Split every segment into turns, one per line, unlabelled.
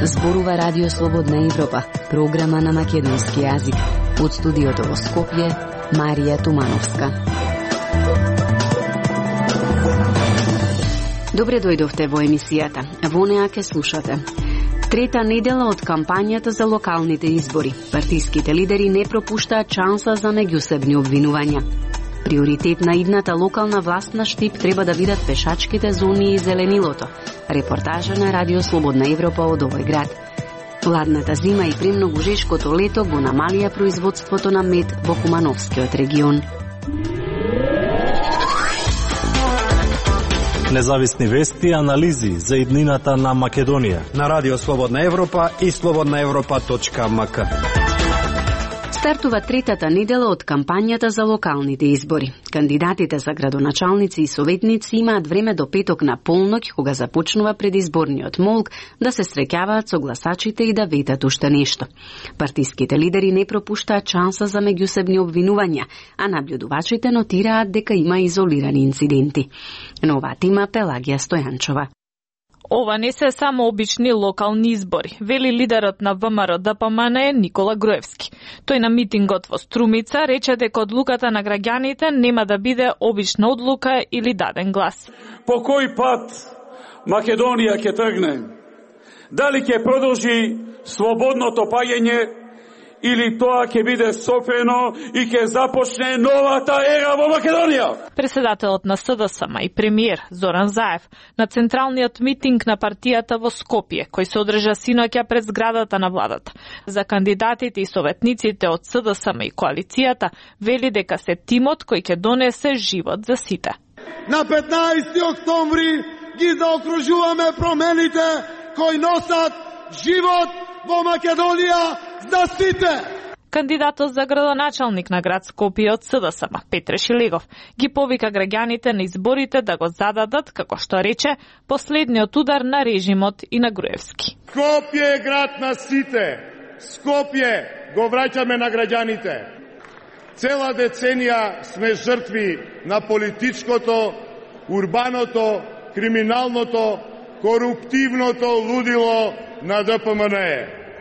Зборува Радио Слободна Европа, програма на македонски јазик. Од студиото во Скопје, Марија Тумановска. Добре дојдовте во емисијата. Во неа ке слушате. Трета недела од кампањата за локалните избори. Партиските лидери не пропуштаат шанса за меѓусебни обвинувања. Приоритет на идната локална власт на Штип треба да бидат пешачките зони и зеленилото. Репортажа на Радио Слободна Европа од овој град. Ладната зима и премногу жешкото лето го намалија производството на мед во Кумановскиот регион.
Независни вести и анализи за иднината на Македонија
на Радио Слободна Европа и slobodnaevropa.mk.
Стартува третата недела од кампањата за локалните избори. Кандидатите за градоначалници и советници имаат време до петок на полноќ, кога започнува предизборниот молк, да се среќаваат со гласачите и да ветат уште нешто. Партиските лидери не пропуштаат шанса за меѓусебни обвинувања, а наблюдувачите нотираат дека има изолирани инциденти. На оваа тема Пелагија Стојанчова.
Ова не се само обични локални избори, вели лидерот на ВМРО-ДПМН Никола Груевски. Тој на митингот во Струмица рече дека одлуката на граѓаните нема да биде обична одлука или даден глас.
По кој пат Македонија ќе тргне? Дали ќе продолжи слободното паѓање или тоа ќе биде софрено и ќе започне новата ера во Македонија?
Председателот на СДСМ и премиер Зоран Заев на централниот митинг на партијата во Скопје, кој се одржа синоќа пред зградата на владата. За кандидатите и советниците од СДСМ и коалицијата вели дека се тимот кој ќе донесе живот за сите.
На 15 октомври ги заокружуваме промените кои носат живот во Македонија за сите.
Кандидатот за градоначалник на град Скопје од СДСМ, Петре Шилегов, ги повика граѓаните на изборите да го зададат, како што рече, последниот удар на режимот и на Груевски.
Скопје е град на сите. Скопје го враќаме на граѓаните. Цела деценија сме жртви на политичкото, урбаното, криминалното, коруптивното лудило на ДПМН.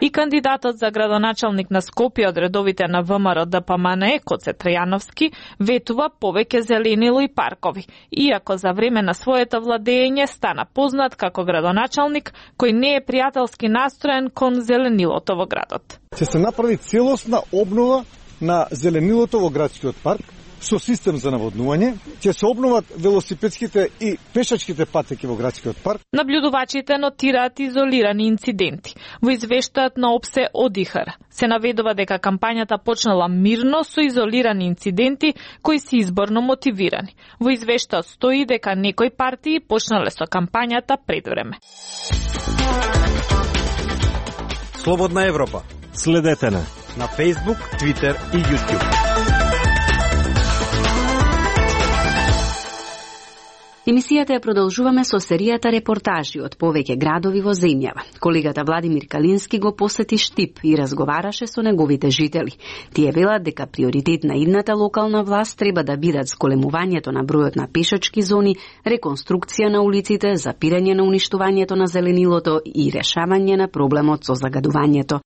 И кандидатот за градоначалник на Скопје од редовите на ВМРО-ДПМН, Коце Трајановски, ветува повеќе зеленило и паркови, иако за време на своето владење стана познат како градоначалник кој не е пријателски настроен кон зеленилото во градот.
Ќе се направи целосна обнова на зеленилото во градскиот парк, со систем за наводнување, ќе се обноват велосипедските и пешачките патеки во градскиот парк.
Наблюдувачите нотираат изолирани инциденти. Во извештајот на ОПСЕ ОДИХР се наведува дека кампањата почнала мирно со изолирани инциденти кои се изборно мотивирани. Во извештајот стои дека некои партии почнале со кампањата пред време.
Слободна Европа.
Следете на
Facebook, Twitter и YouTube.
Емисијата ја продолжуваме со серијата репортажи од повеќе градови во земјава. Колегата Владимир Калински го посети Штип и разговараше со неговите жители. Тие велат дека приоритет на идната локална власт треба да бидат зголемувањето на бројот на пешачки зони, реконструкција на улиците, запирање на уништувањето на зеленилото и решавање на проблемот со загадувањето.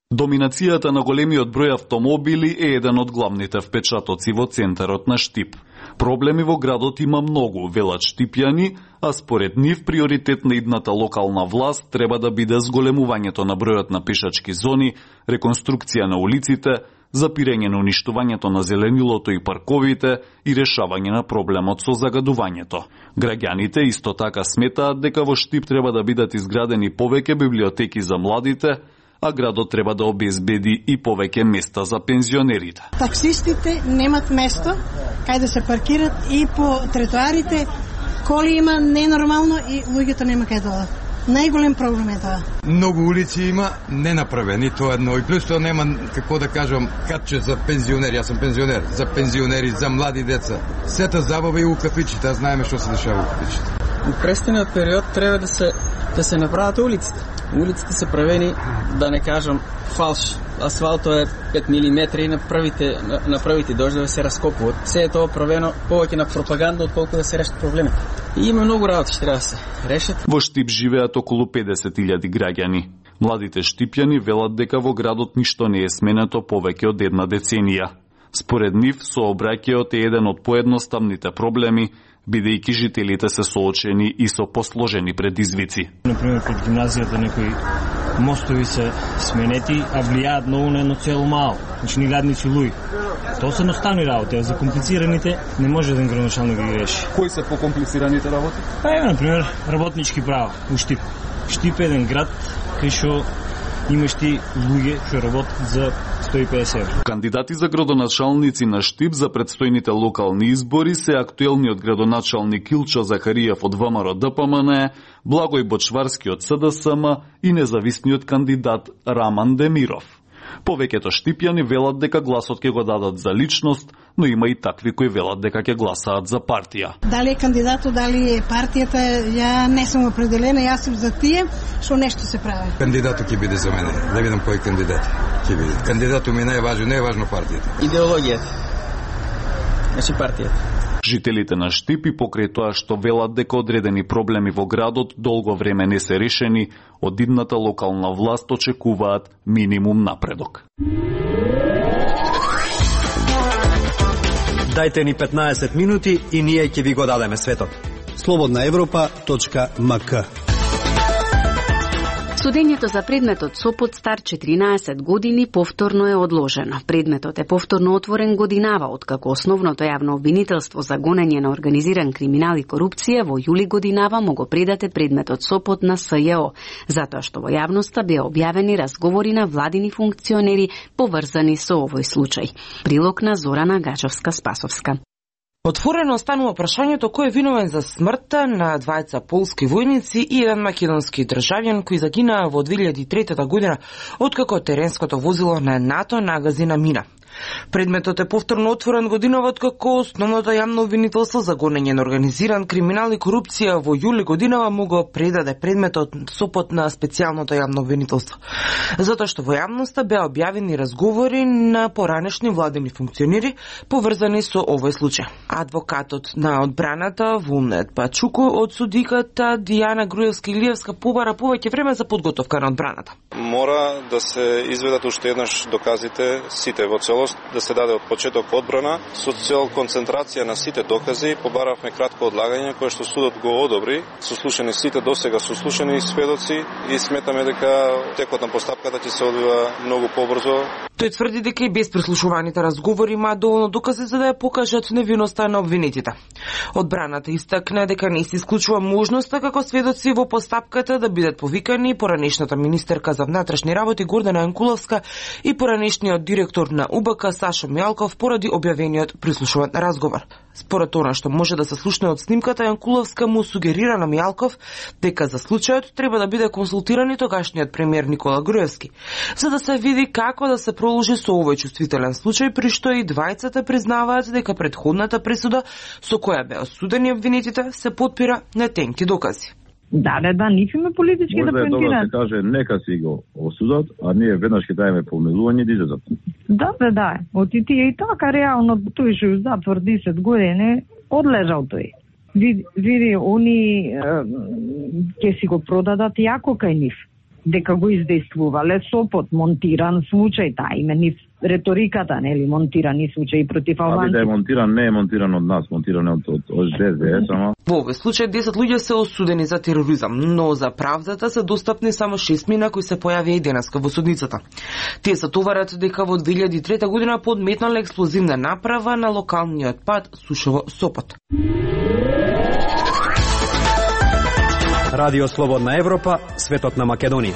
Доминацијата на големиот број автомобили е еден од главните впечатоци во центарот на Штип. Проблеми во градот има многу, велат штипјани, а според нив приоритет на идната локална власт треба да биде зголемувањето на бројот на пешачки зони, реконструкција на улиците, запирање на уништувањето на зеленилото и парковите и решавање на проблемот со загадувањето. Граѓаните исто така сметаат дека во Штип треба да бидат изградени повеќе библиотеки за младите, а градот треба да обезбеди и повеќе места за пензионерите.
Таксистите немат место кај да се паркират и по тротоарите коли има ненормално и луѓето нема кај да одат. Најголем проблем е тоа.
Многу улици има ненаправени, тоа едно. И плюс тоа нема, како да кажам, катче за пензионери. Јас сум пензионер. За пензионери, за млади деца. Сета забава и у кафичите, знаеме што се дешава у кафичите.
У престаниот период треба да се направат улиците. Улиците се правени, да не кажам, фалш. асфалтот е 5 мм и на првите дождови се раскопуваат. Се е тоа провено повеќе на пропаганда отколку да се решат проблемите. И има многу работи што треба да се решат.
Во Штип живеат околу 50.000 граѓани. Младите штипјани велат дека во градот ништо не е сменето повеќе од една деценија. Според нив, сообраќајот е еден од поедноставните проблеми, бидејќи жителите се соочени и со посложени предизвици.
Например, пред гимназијата некои мостови се сменети, а влијаат многу на едно цело мало. Значи, ни гадници луѓе. Тоа се едноставни работи, а за комплицираните не може да градоначалник да ги реши.
Кои се покомплицираните работи?
Например, работнички права у Штип. Штип е еден град кај што имаш ти луѓе што работат за 150 евро.
Кандидати за градоначалници на Штип за предстојните локални избори се актуелниот градоначалник Илчо Захариев од ВМРО ДПМН, Благој Бочварски од СДСМ и независниот кандидат Раман Демиров. Повеќето штипјани велат дека гласот ќе го дадат за личност, но има и такви кои велат дека ќе гласаат за партија.
Дали е кандидатот, дали е партијата, ја не сум определена, јас сум за тие што нешто се прави.
Кандидатот ќе биде за мене, да видам кој кандидат ќе биде. Кандидатот ми не е важно партијата.
Идеологијата. Значи партијата.
Жителите на Штип и покрај тоа што велат дека одредени проблеми во градот долго време не се решени, од идната локална власт очекуваат минимум напредок.
Дајте ни 15 минути и ние ќе ви го дадеме светот. slobodnaevropa.mk.
Судењето за предметот Сопот стар 14 години повторно е одложено. Предметот е повторно отворен годинава, откако основното јавно обвинителство за гонење на организиран криминал и корупција во јули годинава му го предате предметот Сопот на СЈО, затоа што во јавноста беа објавени разговори на владини функционери поврзани со овој случај. Прилог на Зорана Гачовска-Спасовска.
Отворено останува прашањето кој е виновен за смртта на двајца полски војници и еден македонски државјан кои загинаа во 2003 година откако теренското возило на НАТО нагази на мина. Предметот е повторно отворен годинава откако основното јавно обвинителство за гонење на организиран криминал и корупција во јули годинава му го предаде предметот Сопот на специјалното јавно обвинителство. Затоа што во јавноста беа објавени разговори на поранешни владени функционери поврзани со овој случај. Адвокатот на одбраната Вулнет Пачуко од судиката Дијана Груевска-Илиевска побара повеќе време за подготовка на одбраната.
Мора да се изведат уште еднаш доказите сите во целост, да се даде од почеток одбрана со цел концентрација на сите докази. Побаравме кратко одлагање кое што судот го одобри, сослушани сите досега сослушани сведоци и сметаме дека текот на постапката ќе се одвива многу побрзо.
Тој тврди дека и без прислушуваните разговори има доволно докази за да ја покажат невиноста на обвинетите. Одбраната истакна дека не се исклучува можноста како сведоци во постапката да бидат повикани поранешната министерка за внатрешни работи Гордана Јанкуловска и поранешниот директор на УБК Сашо Мијалков поради објавениот прислушуван разговор. Според она што може да се слушне од снимката, Јанкуловска му сугерира на Мијалков дека за случајот треба да биде консултиран и тогашниот премиер Никола Груевски, за да се види како да се проложи со овој чувствителен случај, при што и двајцата признаваат дека претходната пресуда со која беа осудени обвинетите се потпира на тенки докази.
Да, нив има политички да поентираат.
Може да се каже, нека си го осудат, а ние веднаш ќе дајме помилување да излезат.
Да. Оти тие и така реално тој што ја затвор 10 години одлежал тој. Види, они ќе си го продадат јако кај нив, дека го издействувале Сопот, монтиран случај, име нив реториката, нели, монтирани случаи против албанци.
Да е монтиран, не е монтиран од нас, монтиран од ДСДС, ама.
Во овој случај 10 луѓе се осудени за тероризам, но за правдата се достапни само 6 мина кои се појавија и денеска во судницата. Тие се товарат дека во 2003 година подметнале експлозивна направа на локалниот пат Сушово-Сопот.
Радио Слободна Европа, светот на Македонија.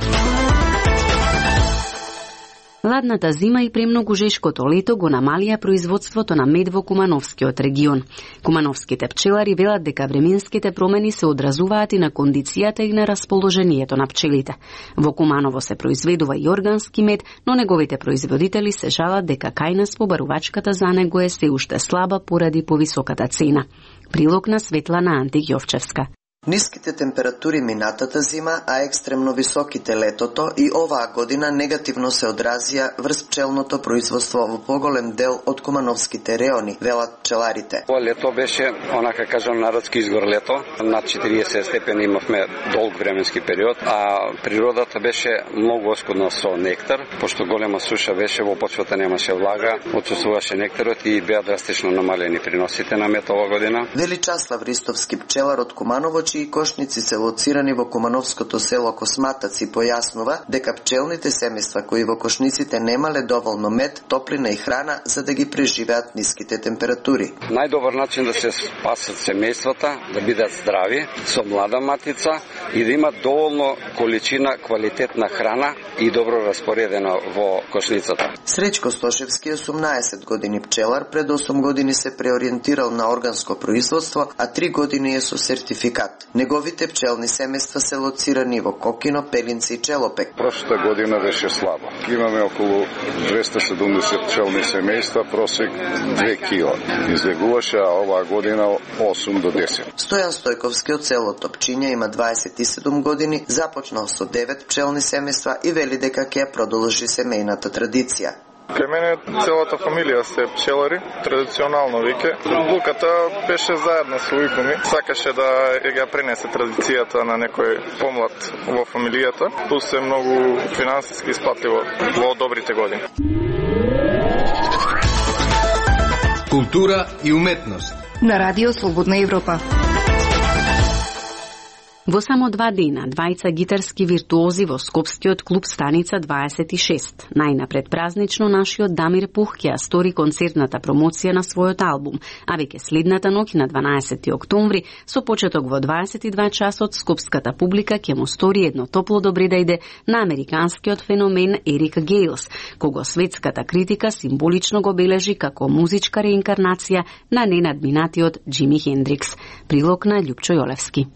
Ладната зима и премногу жешкото лето го намалија производството на мед во Кумановскиот регион. Кумановските пчелари велат дека временските промени се одразуваат и на кондицијата и на расположението на пчелите. Во Куманово се произведува и органски мед, но неговите производители се жалат дека кај нас побарувачката за него е се уште слаба поради повисоката цена. Прилог на Светлана Антијовчевска.
Ниските температури минатата зима, а екстремно високите летото и оваа година негативно се одразија врз пчелното производство во поголем дел од кумановските реони, велат пчеларите.
Ова лето беше, онака кажам, народски изгор лето. Над 40 степени имавме долг временски период, а природата беше многу оскудна со нектар, пошто голема суша беше, во почвата немаше влага, отсуствуваше нектарот и беа драстично намалени приносите на мед ова година.
Вели Часлав Ристовски, пчелар од Куманово, чии кошници се лоцирани во кумановското село Косматаци, појаснува дека пчелните семејства кои во кошниците немале доволно мед, топлина и храна за да ги преживеат ниските температури.
Најдобар начин да се спасат семејствата, да бидат здрави, со млада матица и да имат доволно количина квалитетна храна и добро распоредена во кошницата.
Среќко Стошевски, 18 години пчелар, пред 8 години се преориентирал на органско производство, а 3 години е со сертификат. Неговите пчелни семејства се лоцирани во Кокино, Пелинци и Челопек.
Прошлата година беше слабо. Имаме околу 270 пчелни семејства, просек 2 кила. Излегуваше, а оваа година 8 до 10.
Стојан Стојковски од село Топчиња има 27 години, започнал со 9 пчелни семејства и вели дека ќе ја продолжи семејната традиција.
Кај мене целата фамилија се пчелари, традиционално веќе. Луката беше заедно со ујко ми. Сакаше да ја пренесе традицијата на некој помлад во фамилијата. Плюс е многу финансиски испатливо во добрите години.
Култура и уметност
на Радио Слободна Европа.
Во само 2 дена, двајца гитарски виртуози во Скопскиот клуб Станица 26. Најнапред празнично нашиот Дамир Пух ќе ја стори концертната промоција на својот албум, а веќе следната ноќ на 12 октомври, со почеток во 22 часот, скопската публика ќе му стори едно топло добредејде на американскиот феномен Ерик Гејлс, кого светската критика символично го бележи како музичка реинкарнација на ненадминатиот Џими Хендрикс. Прилог на Љупчо Јолевски.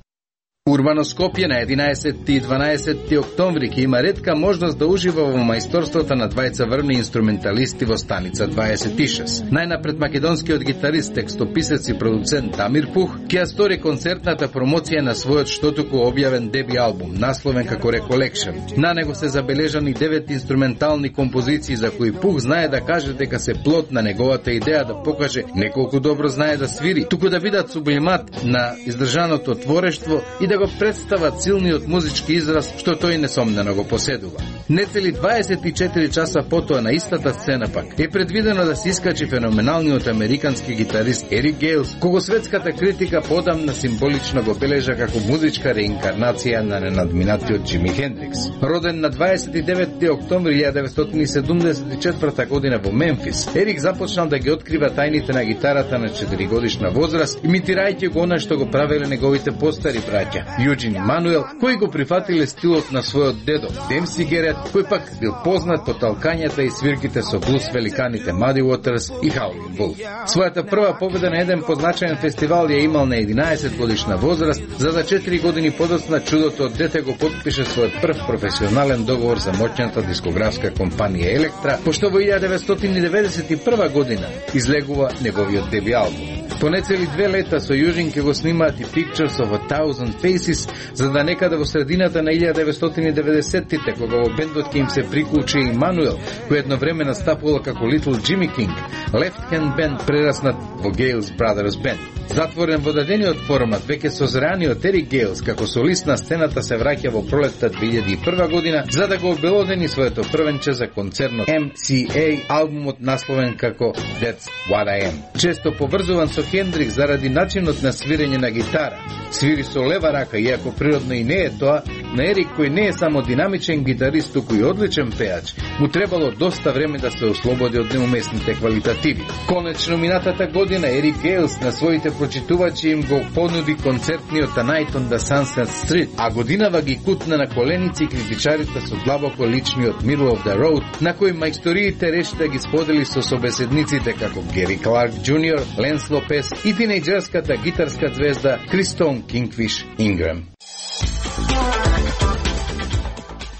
Урбано Скопје на 11 и 12 октомври ќе има ретка можност да ужива во мајсторството на двајца врвни инструменталисти во Станица 26. Најнапред македонскиот гитарист, текстописец и продуцент Дамир Пух ќе ја стори концертната промоција на својот штотуку објавен деби албум, насловен како Recollection. На него се забележани 9 инструментални композиции за кои Пух знае да каже дека се плод на неговата идеја да покаже не колку добро знае да свири, туку да бидат сублимат на издржаното творештво и да го представат силниот музички израз што тој несомнено го поседува. Нецели 24 часа потоа на истата сцена пак е предвидено да се искачи феноменалниот американски гитарист Ерик Гејлс, кого светската критика подамна символично го бележа како музичка реинкарнација на ненадминатиот Џими Хендрикс. Роден на 29 октомври 1974 година во Мемфис, Ерик започнал да ги открива тајните на гитарата на 4 годишна возраст, имитирајќи го она што го правеле неговите постари браќа Јуџин и Мануел, кои го прифатиле стилот на својот дедо Демси Герет, кој пак бил познат по талкањата и свирките со блуз великаните Муди Уотерс и Хаулин Вулф. Својата прва победа на еден позначаен фестивал ја имал на 11 годишна возраст, за 4 години подоцна чудото од дете го подпише својот прв професионален договор за моќната дискографска компанија Електра, пошто во 1991 година излегува неговиот деби албум. По нецели 2 лета со Јужин ќе го снимаат и Pictures of a Thousand Faces, за да некаде во средината на 1990-тите, кога во бендот ќе им се приклучи и Мануел, кој едновреме настапувал како Little Jimmy King, Left Hand Band прераснат во Gales Brothers Band. Затворен во дадениот формат, веќе созреаниот Ерик Гејлс како солист на сцената се враќа во пролетта 2001 година, за да го обелодени своето првенче за концернот MCA, албумот насловен како That's What I Am. Често поврзуван со Хендрикс заради начинот на свирење на гитара. Свири со лева рака, иако природно и не е тоа, на Ерик, кој не е само динамичен гитарист, туку и одличен пеач, му требало доста време да се ослободи од неуместните квалитативи. Конечно, минатата година Ерик Гејлс на своите прочитувачи им го понуди концертниот A Night on the Sunset Street, а годинава ги кутна на коленици критичарите со длабоко личниот Middle of the Road, на кој мајсториите реши да ги сподели со собеседниците како Гери Кларк Джуниор, Ленс Лопес и тинејџерската гитарска звезда Кристон Кингфиш Инграм.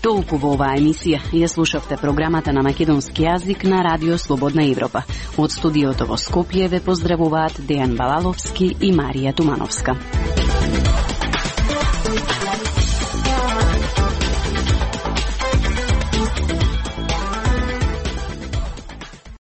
Толку во оваа емисија. Ја слушавте програмата на македонски јазик на Радио Слободна Европа. Од студиото во Скопје ве поздравуваат Дејан Балаловски и Марија Тумановска.